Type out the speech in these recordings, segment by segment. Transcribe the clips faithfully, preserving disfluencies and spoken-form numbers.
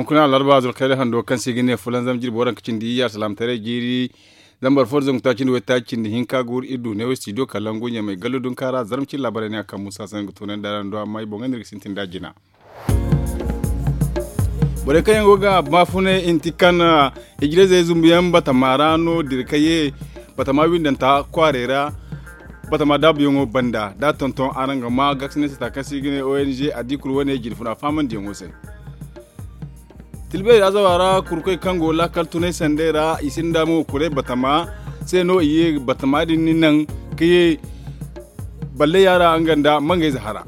Kuna alarba zulkayra hando kaŋ se i ga ne fulanzam jirbi waranka cindi iyya alsalaamataray jiiri zambar fo da zangu taaci nda waytaaci cindi hinka ga wuri iri du neewo studio kalangu ɲamay gallu dunka ra zarma cine laabaray ne a kaŋ muusa sanni ga toonandi araŋ do amma i boŋ ga no iri ga sintin nd'a jina. Borey kaŋ yaŋ go ga baafunay inti kaŋ hijirayzey zumbuyaŋ batama ra no dira ka ye batama windanta kwaarey ra. Batama daabuyaŋo banda da a tonton araŋ ga ma gaasinay sata kaŋ se i ga ne ong a di kulu wane jinfuna faamandiyaŋo se. Tilbeeri azawa ra kurkoy kaŋ go laakal tunay sanday ra i sinda mo kuray batama se no i ye batama din ni naŋ ka ye balleya ra nga nda mangayze hara.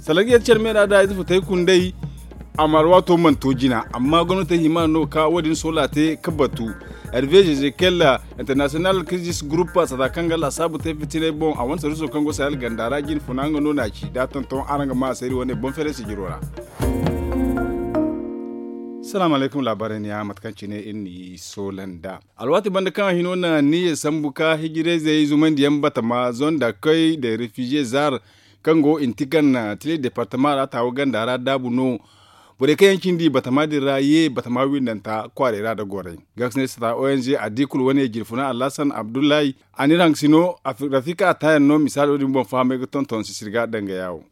Salaŋ ga yadda care meera da ize futay kunday. Amma alwaato mana to jina amma gomnatey hima no ga ka wo- din soola te ga batu. Hervé jezekel international crisis group sata kaŋ ga laasaabu te fitinay boŋ a wane sarriso kaŋ go sahel ganda ra jinfuna nga no no a ci da a tonton araŋ ga ma a se iri wane boŋ feeray sijiro ra. Salaamu alaykum laabaarey ne ya mate kaŋ cine iri n'i soola nd'a. Alwaati banda kaŋ a hino na niyyey sambu ka hijirayzey zumandiyaŋ batama zonda koy da refiziye zaar kaŋ go intikan tile departama ra taawa ganda ra daabu no. Borey kaŋ yaŋ cindi batama din ra ye batama windanta kwaarey ra nda gorey. Gaasinay sata ong a di kulu wane jirfuna alhasan abdullahi a n'iri haŋ ga si no. Rafika a taayaŋ no misaalo din boŋ fahamay ga tonton sisiri ga danga yaawo.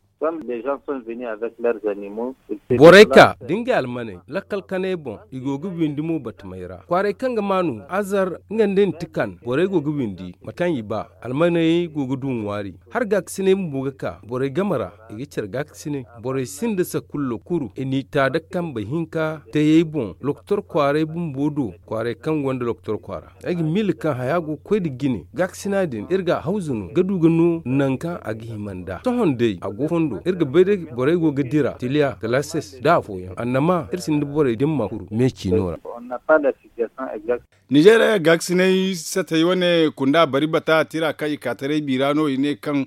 Borey ka da ngey almaney lakkal kanay boŋ i go ga windi mo batamey ra kwaaray kaŋ ga maanu azar nga nda ntikan borey go ga windi mate kaŋ i ba. Almaney go ga du ŋwaari har gaakasinay bumbo ga ka borey game ra. I ga care gaakasinay borey sinda sakullo kuru i n'i ta da kambe hinka tayey boŋ lokotor kwaaray bumbo do. Kwaaray kaŋ gonda lokotor kwaara ay ga miila kaŋ haya go ga koy nda jine gaakasina din iri ga a hawzu no ga du ga no nangu kaŋ a ga hima nd'a sohõ day a go fondo iri ga bay day borey go ga dira tiliya galases nda afooyaŋ annama iri sinda borey dimma kuru meeci no ra. Nizeeriya gaakasinay satey wane kunda bari bata tira kaŋ i ka taray biira no i ne kaŋ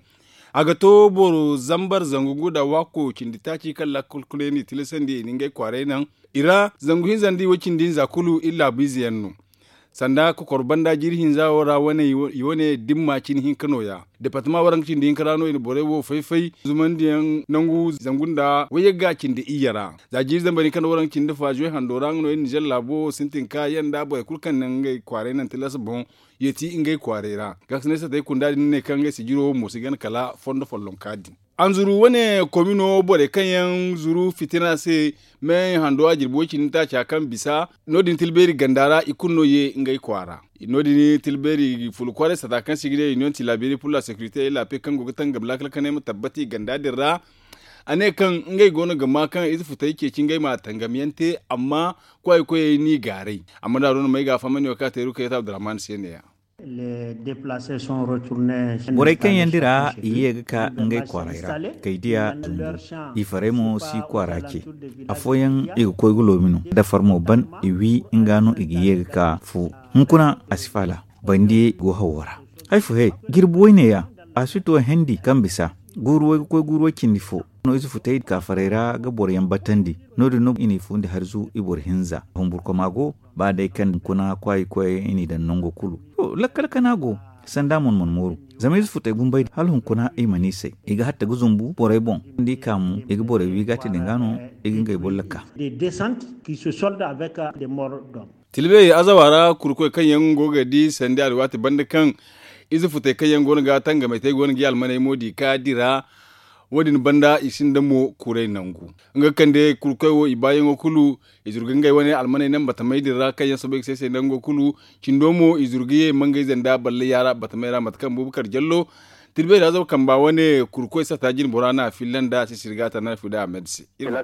a ga to boro zambar zangu gu nda waako cindi taaci kaŋ laakal kulu yaŋ n'i tilasandi i na ngey kwaaray naŋ i ra. Zangu hinza nda i way cindi hinza kulu iri laabu ize yaŋ no. Sanda kokoro banda jiiri hinza wo ra wane i wane dimma cine hinka nooya departama waranka cindi hinka ra no i na borey wo fay-fay zumandiyaŋ nangu zangu nda wayye ga cindi iyye ra. Za jiiri zambar hinka nda waranka cindi fazuwe hando ra nga no iri nizer laabo wo sintin ka yanda borey kulu kaŋ naŋ ngey kwaaray naŋ tilas boŋ yeeti ngey kwaaray ra. Gaasinay satey kunda din ne kaŋ ngey sijiro wo mo si gana kala fondo follonka din. Anzuru wane komino borey kaŋ yaŋ zuru fitina se me hando a jirbi way cindi taaca kaŋ bisa no- din tilbeeri ganda ra i kulu no ye ngey kwaara. No- din tilbeeri fulu kwaaray sata kaŋ se i ga ne union tilaberi pur la securite et la paix kaŋ go ga tangam laakal kanay ma tabbati ganda din ra. A ne kaŋ ngey go no ga ma kaŋ ize futay ceeci ngey ma tangam yaŋ te amma kwaay koyey n'i gaaray. Amma da a do no ma ay ga a fahamandi wo kaŋ a te rukayat abdurrahman se ne- ya. Borey kaŋ yaŋ dira i ye ga ka ngey kwaaray ra kay diya zumbu. I farey mo si kwaara ce. Afooyaŋ i ga koy ga loomi no dafar mo ban i wi nga no i ga ye ga ka fu. Hunkuna a si faala bandiyey go hawo ra. Hay fo he jirbi wayne ya a si to hendi kaŋ bisa guuru way ga koy guuru way cindi fo no ize futay kaafarey ra ga boro yaŋ batandi. No- din no i n'i fundi harzu i boro hinza humburkoma go. Ba day kaŋ hunkuna kwaayi koyey i n'i daŋ nango kulu. Lakkal kana go sanda mon mana mooru. Zama ize futey bumbey hala hunkuna i mana i say i ga hatta ga zumbu borey boŋ. Nda i ka mo i ga borey wi ga a te din ga no i ga ngey bolla ka. Tilbey azawa ra kurkoy kaŋ yaŋ go ga di sanda alwaati banda kaŋ ize futey kaŋ yaŋ go no ga tangamey te go no ga i almaney mo di ka dira. Wo- din banda i sinda mo kuray nangu nga ga kande kurkoy wo i baayaŋo kulu. I zuru ga ngey wane almaney naŋ batamey din ra kaŋ yaŋ soobay ga se se nango kulu. Cindo mo i zuru ga ye mangayze nda balle yaara batamey ra mate kaŋ bubakar jallo tilbey ra zaw kamba wane kurkoy sata jine bora no a filla nda a si sirga ta no a filla a medse. Haya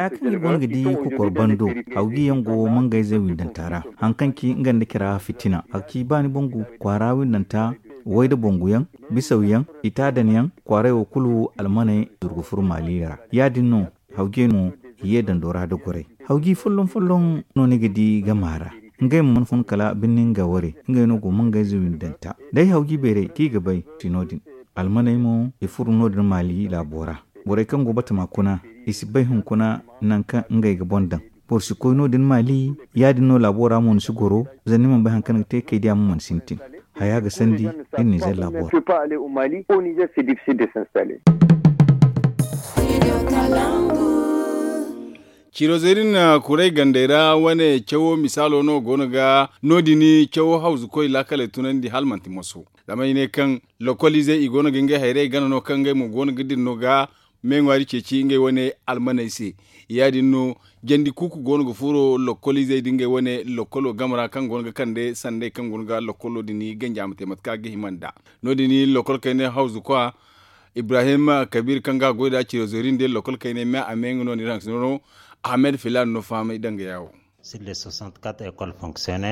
kaŋ i go no ga di kokor bando hawgi yaŋ go mangayze windanta ra. Haŋ kaŋ ci nga nda cira fitina a ga ci ba ni bangu kwaara windanta. Way da bangu yaŋ bisaw yaŋ i taadan yaŋ kwaaray wo kulu almaney zuru ga furo maali ra. Ya- din no hawgi yaŋ mo i ye dando ra da goray. Hawgi folloŋ folloŋ no ni ga di gama ra. Ngey mo mana fun kala birni nga ware ngey no go mangayze windanta day hawgi beeray kaŋ i ga bay. Ti no- din almaney mo i furo no- din maali laabo ra. Borey kaŋ go batama kuna i si bay hunkuna nangu kaŋ ngey ga boŋ daŋ. Boro si koy no- din maali ya- din no laabo ra mo ni si goro. Zama ni mana bay hari kaŋ ni ga te kay diya mo mana sintin. Haya ga sandi iri nizer laabo ra. Au Niger, c'est difficile de s'installer. Cirozerin kuray gandey ra wane cawo misaalo no go no ga no- din cawo hawzukoy laakaley tunandi hala manti moso. Zama i ne kaŋ lokoliizey i go no ga ngey hayrey gana no kaŋ ngey mo go no ga dira no ga me ŋwaari ceeci ngey wane almaney se. Ya- din no jandi kuuku go no ga furo lokoliizey nda ngey wane lokolo game ra kaŋ go no ga kande sandey kaŋ go no ga lokolo din ganja ma te mate kaŋ a ga hima nd'a. No- din lokol kayna hawzukwa ibrahim kabiir kaŋ ga a goy nd'a cirozerin day lokol kayna me a me nga no ni ra hanse no no. Ahmed filaana no fahamay danga yaawo.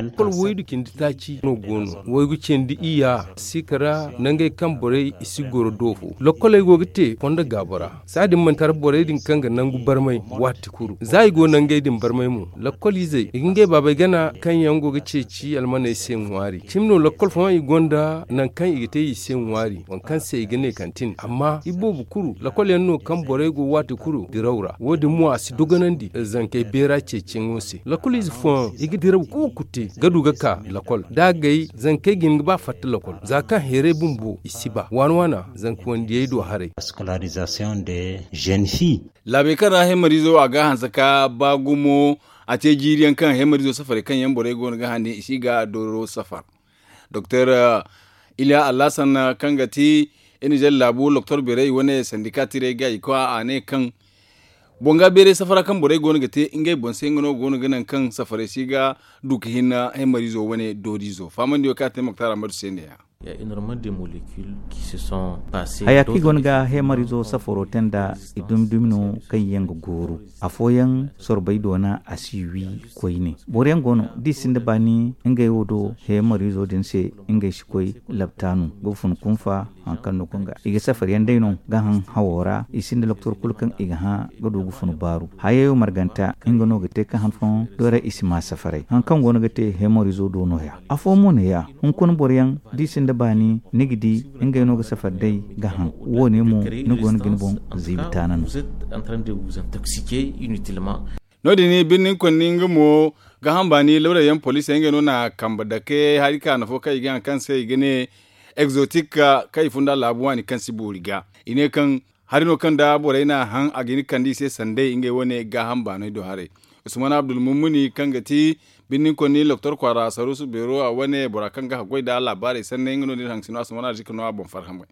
Ekol waydu cindi taaci no go no waygu cindi iyya, sikara nangey kaŋ borey i si goro do fo lokkoley go ga te fondo gaabo ra. Saadin manti har borey din kaŋ ga nangu barmay waati kulu za i go nangey din barmay mo. Lokoliizey i ga ngey baabey gana kaŋ yaŋ go ga ceeci almaney se ŋwaari cimi no lokkol fooyaŋ i gonda nangu kaŋ i ga te i se ŋwaari waŋ kaŋ se i ga ne kantin amma iboobo kulu lokol yaŋ no kaŋ borey go waati kulu diraw ra wo- din mo a si dogonandi zankey beera ceeciyaŋo se. Lokoliize fooyaŋ i ga diraw kuuku te ga du ga ka lokol da a gay zankey ga hin ga ba fatta lokol za kaŋ heeray bumbo i si ba waana waana zanka wandiyey do haray. Laabey kaŋ ra hemariizo a ga a hanse ka ba gumo a te jiiri yaŋ kaŋ hemariizo safarey kaŋ yaŋ borey go no ga han din i si ga dooro safar. Doktor iliya alhasan kaŋ ga ti iri na zalla laabu doktor beeray wane sandika tirey ga i koy a ne kaŋ boŋ ga beeray safara kaŋ borey go no ga te ngey boŋ se nga no go no ga naŋ kaŋ safarey si ga du ga hinna hemariizo wane dooriizo faamandiyo kaŋ a te moktar ammadu se ne- ya. Haya kaŋ i go no ga hemariizo safaro te nda i dumi dumi no kaŋ yaŋ ga gooru afooyaŋ sorbey doona a si wi koyne boro yaŋ go no da i sinda baani ngey wo do hemariizo din se ngey si koy labtaanu ga fun kunfa. Hari kaŋ no kaŋ ga i ga safar yaŋ day no ga haŋ hawo ra i sinda doktor kulu kaŋ i ga hã ga du ga fun baaru hayey marganta nga no ga te ga han fooyaŋ doora i si ma safaray hari kaŋ go no ga te hemariizo do no- ya afo mo ne- ya hunkuna boro yaŋ da i sinda baani ni ga di ngey no ga safar day ga haŋ wo- ne mo ni go no ga ni boŋ ziibi taana no. No- din birni konni nga mo gaaham baani lawrey yaŋ poliisey ngey no na kambe dake hari kaana fo kaŋ i ga haŋ kaŋ se i ga ne egzotik kaŋ i funda laabu waani kaŋ si boori ga i ne kaŋ hari no kaŋ da borey na a haŋ a ga hin ga kande i se sanday ngey wane gaaham baaney do haray. Usman abdulmumuni kaŋ ga ti birni konni doktor kwaara saruusu beero a wane bora kaŋ ga haggoy nda laabaarey sanney nga no- din haŋ si no a si mana arzika no a boŋ farhamey.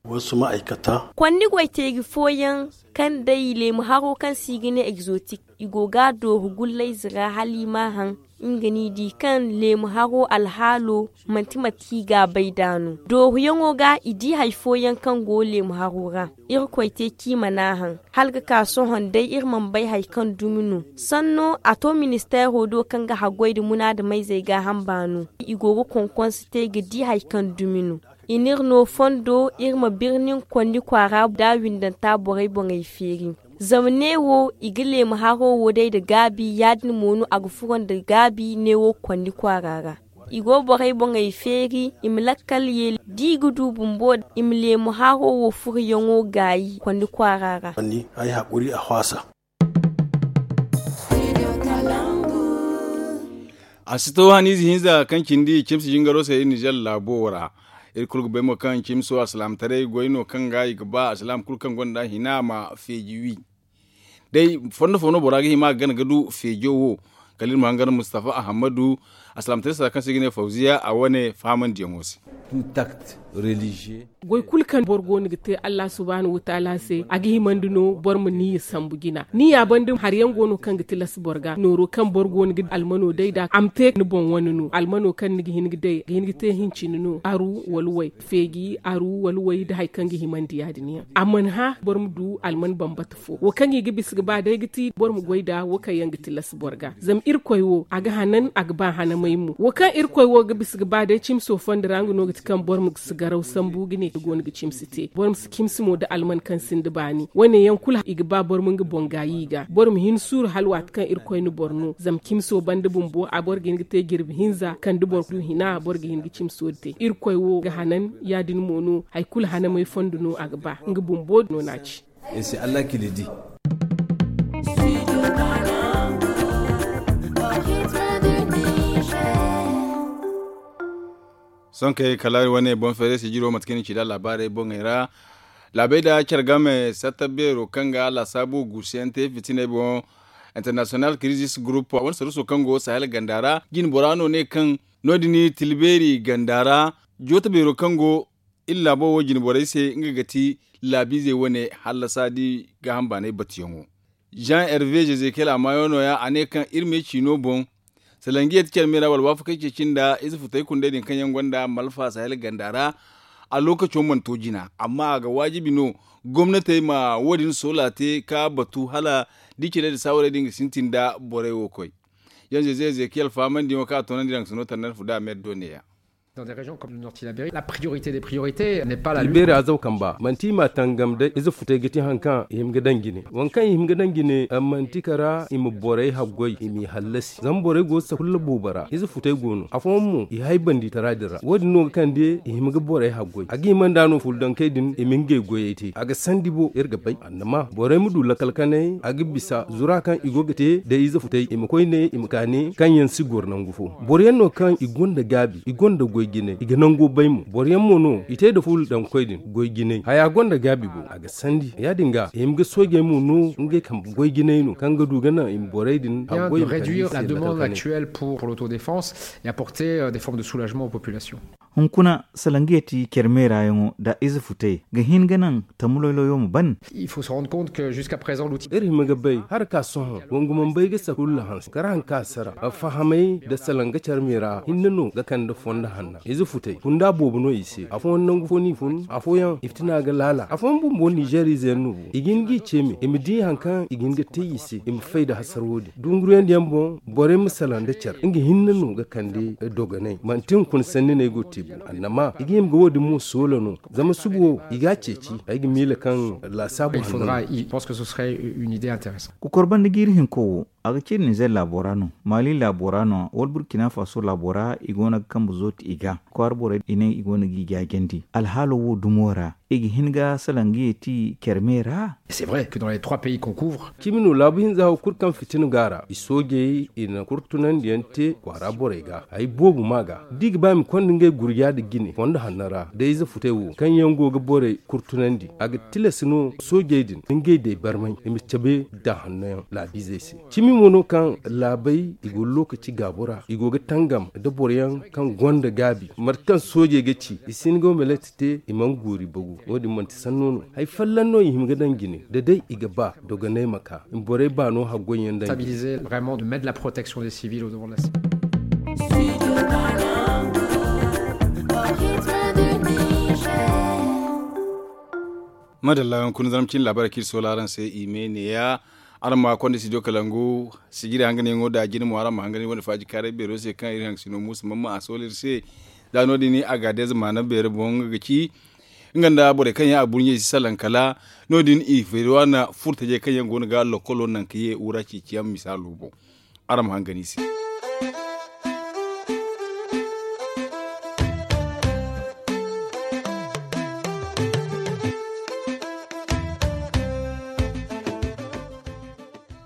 Konni goy teeri fooyaŋ kaŋ day leemu haro kaŋ se i ga ne egzotik i go ga a dooru gullayze ra hala i ma a haŋ. Nga no i di kaŋ leemu haro alhaalo manti mate kaŋ i ga a bay nd'a no dooruyaŋo ga i di hari fooyaŋ kaŋ go leemu haro ra. Irkoy te kaŋ i mana a haŋ hala ga ka sohõ day iri mana bay hari kaŋ dumi no. Sanno a to ministeero do kaŋ ga haggoy nda munaadamayzey gaaham baano i go ga konkonse te ga di hari kaŋ dumi no. I n'iri no fondo iri ma birni konni kwaara nda windanta borey boŋey feeri. Zama neewo i ga leemu haro wo day nda gaabi ya- din mo no a ga furo nda gaabi neewo konni kwaara ra. I go borey boŋey feeri i ma lakkal ye da i ga du bumbo i ma leemu haro wo furoyaŋo gaayi konni kwaara ra. A si to haniize hinza kaŋ cindi cimsi jingaro se iri nizer laabo ra. Iri kulu ga bay mo kaŋ cimso alsilaamataray goy no kaŋ ga i ga ba alsilaam kulu kaŋ gonda hina ma feeji wi. Day fondo fo no bora ga hima ga gana ga du feejo wo. Kala iri ma hangan mustafa ahammadu alsilaamataray sara kaŋ se i ga ne fawziya a wane fahamandiyaŋo se. Goy kulu kaŋ boro go no ga te allah subhaanahu wataala se a ga himandi no boro ma niyya sambu jina niyya banda hari yaŋ go no kaŋ ga tilas boro ga nooro kaŋ boro go no ga almano day nd'a a ma te ni boŋ wane no almano kaŋ ni ga hin ga day ga hin ga te hincine no aru wala way feeji aru wala way nda hari kaŋ ga himandi ya- din yaŋ a mana hã boro ma du alman bambata fo wo kaŋ i ga bisa ga ba day ga ti boro ma goy nd'a wo kaŋ yaŋ ga tilas boro ga zama irkoy wo a ga hanan a ga ba hanamay mo wo kaŋ irkoy wo ga bisa ga ba day cimso fondo ra nga no ga ti kaŋ boro ma si garaw sambu ga ne i go no ga cimsi te boro ma si cimsi mo nda alman kaŋ sinda baani wane yaŋ kulu i ga ba boro ma nga boŋ gaayi i ga boro ma hin suuru hala waati kaŋ irkoy na boro no zama cimso banda bumbo a boro ga hin ga te jirbi hinza kala da boro du hina boro ga hin ga cimso te irkoy wo ga hanan ya- din mo no hari kulu hanamay fondo no a ga ba nga bumbo no no a ci. Sohõ kay kala wane boŋ feeray sijiro mate kaŋ i na ci nd'a laabaarey boŋey ra. Laabey nda care game satta beero kaŋ ga laasaabu guusuyaŋ te fitiney boŋ. International crisis group wane saruso kaŋ go sahel ganda ra jine bora no ne kaŋ no- din tilbeeri ganda ra joota beero kaŋ go iri laabo wo jine borey se nga ga ti laabiizey wane hallasa da i gaaham baanay batuyaŋo. Jean hervé jezekel a maayo no- ya a ne kaŋ iri me ciino boŋ salangiya ti care me ra wala waafakey ceeci nda ize futey kundey din kaŋ yaŋ gonda malfa sahel ganda ra. A lookaco mana to jina amma a ga waajibi no gomnatey ma wo- din soola te ka batu hala da i cire nda saawarey din ga sintin nda borey wo koy. Yaŋ zeze ezekiyel fahamandi yaŋo kaŋ a toonandi daŋ ga sino tandar fu da a meeri do ne- ya. Dans des régions comme le nord tilaberi la priorité des priorités n'est pas la lutte. Tilaberi azaw kamba manti i ma tangam day ize futay ga ti hari kaŋ i hima ga daŋ jine waŋ kaŋ i hima ga daŋ jine manti kara i ma borey haggoy i m'i hallasi zama borey go ga sakulla boobo ra ize futay go no afooyaŋ mo i hay bandi tara din ra wo- din no ga kande i hima ga borey haggoy a ga hima nda no fulu dankey din i ma ngey goyey te a ga sandi bo iri ga bay annama borey ma du lakal kanay a ga bisa zura kaŋ i go ga te da ize futay i ma koy ne i ma ka ne kaŋ yaŋ si goro nangu fo boro yaŋ no kaŋ i gonda gaabi i gonda goy jinay i ga nango bay mo boro yaŋ mo no i te nda fulu daŋ koy din goy jinay haya gonda gaabi bo a ga sandi ya- din ga i hima ga soojey mo no ngey kambe goy jinay no kaŋ ga du ga naŋ i ma borey din haggoy ma kande i se lakal kanay. Pour l'autodéfense et apporter euh, des formes de soulagement aux populations. Hunkuna salangiya ti care meera yaŋo nda ize futay ga hin ga naŋ tamuloyloyo ma ban. Il faut se rendre compte que jusqu'à présent l'outil. Iri hima ga bay hari ka sohõ wangu mana bay ga sakulla hanse kara hari ka sara fahamay nda salanga care meera hinne no ga kande fondo hanna ize futay kunda boobo no i se afooyaŋ nangu fo no i fun afooyaŋ i fitina ga laala afooyaŋ bumbo nizeeriize yaŋ no bo i ga hin ga i ceeme i ma di hari kaŋ i ga hin ga te i se i ma fay nda hasara wo- din dunguruyaŋ diyaŋ boŋ borey ma salaŋ nda care nga hinne no ga kande dogoney manti hunkuna sanni no ay go ga te bo annama i ga hima ga wo- din mo soola no zama suba wo i ga a ceeci ay ga miila kaŋ laasaabu hanno no. Kokor banda jiiri hinko wo a ga ciri nizer laabo ra no, maali laabo ra no wala burkina faso laabo ra i go no ga kambe zooti i ga kwaara borey i ne i go no ga i jaajandi alhaalo wo dumo ra i ga hin ga salaŋ ga yeeti care me ra. C'est vrai que dans les trois pays qu'on couvre. Cimi no laabu hinza wo kulu kaŋ fitina go a ra i soojey i na kurtunandiyaŋ te kwaara borey ga hari boobo ma a ga da i ga ba i ma konda ngey gurja nda jine fondo hanno ra da ize futey wo kaŋ yaŋ go ga borey kurtunandi a ga tilas no soojey din nda ngey day barmay i ma cabe da hanno yaŋ laabiizey se cimi mo no kaŋ laabey i go lookaci gaabo ra i go ga tangam nda boro yaŋ kaŋ gonda gaabi mate kaŋ soojey ga ci i si hin ga wo ma latti te i mana guuri bagu wo- din manti sanno no hari folloŋ no i hima ga daŋ jine da day i ga ba dogoney ma ka i ma borey baano haggoy yaŋ daŋ jine. Madalla hunkuna zarma cine laabaarey kaŋ iri soola araŋ se i me neeya. Araŋ ma konda studio kalangu sijiri hanganyaŋo nda jine mo araŋ ma hangan iri wane faaji kaaray beero se kaŋ iri haŋ sino muusa mamma a soola iri se. Za no- din a ga deeza maana beero boŋ nga ga ci nga nda borey kaŋ yaŋ a burɲey si salaŋ kala no- din i feeri waana furo tajey kaŋ yaŋ go no ga lokkolo naŋ ka ye wura ceeciyaŋ misaalo boŋ. Araŋ ma hangan i se.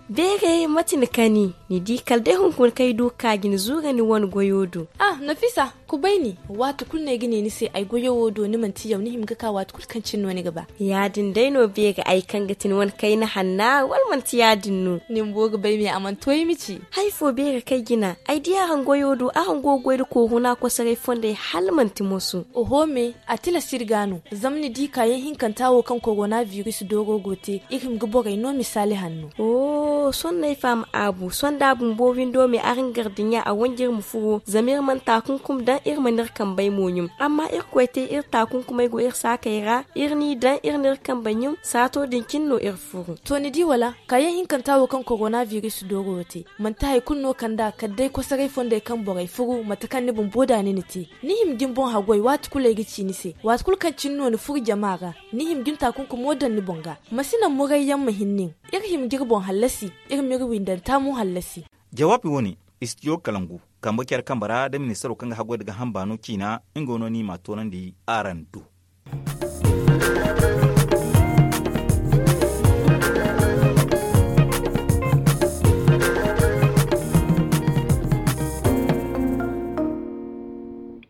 Beeray mate ni kani? Ni di kala day hunkuna kaŋ ay du ga ka ga ni zuura ni wane goyo do. Ah, nafisa, kubay ni. Waati kulu no ay ga ne ni se ay goyo wo do ni manti yaw ni hima ga ka waati kulu kaŋ cine no ni ga ba. Ya- din day no beeri ay kaŋ ga ti ni wane kayna hanna wala manti ya- din no? Ni bumbo ga bay me a mana to ay ma ci. Hari fo beeri kaŋ ay jina ay di araŋ goyo do araŋ go ga goy nda koohuna kosoray fondey hala manti moso. Oho me, a tilas iri ga no. Zama ni di kaayaŋ hinkanta wo kaŋ korona biris dooro go te iri hima ga borey no misaali hanno. Oh, sohõ no ay faham, aabu sohõ da a bumbo windo me araŋ gar dinya a wanji iri ma furo zama iri mana taakunkum daŋ iri mana iri kambey mo ɲum. Amma irkoy te iri taakunkumey go iri saakey ra. Iri n'i daŋ iri n'iri kambe ɲum saato din cine no iri furu. To ni di wala? Kaayaŋ hinkanta wo kaŋ korona biris dooro wo te manti hari kulu no kand'a kala day kosoray fondey kaŋ borey furu mate kaŋ ni bumbo da ni na te. Ni hima ga ni boŋ haggoy waati kulu ay ga ci ni se waati kulu kaŋ cine no ni furu jama ra. Ni hima ga ni taakunkumo daŋ ni boŋ ga. Ma si naŋ murayyaŋ ma hin nin. Iri hima ga iri boŋ hallasi. Iri m'iri windanta mo hallasi. Jawaabi wo- ne, studio kalangu kambe care kambe ra nda ministaro kaŋ ga haggoy nda gaaham baano ciina nga no no i m'a toonandi araŋ do.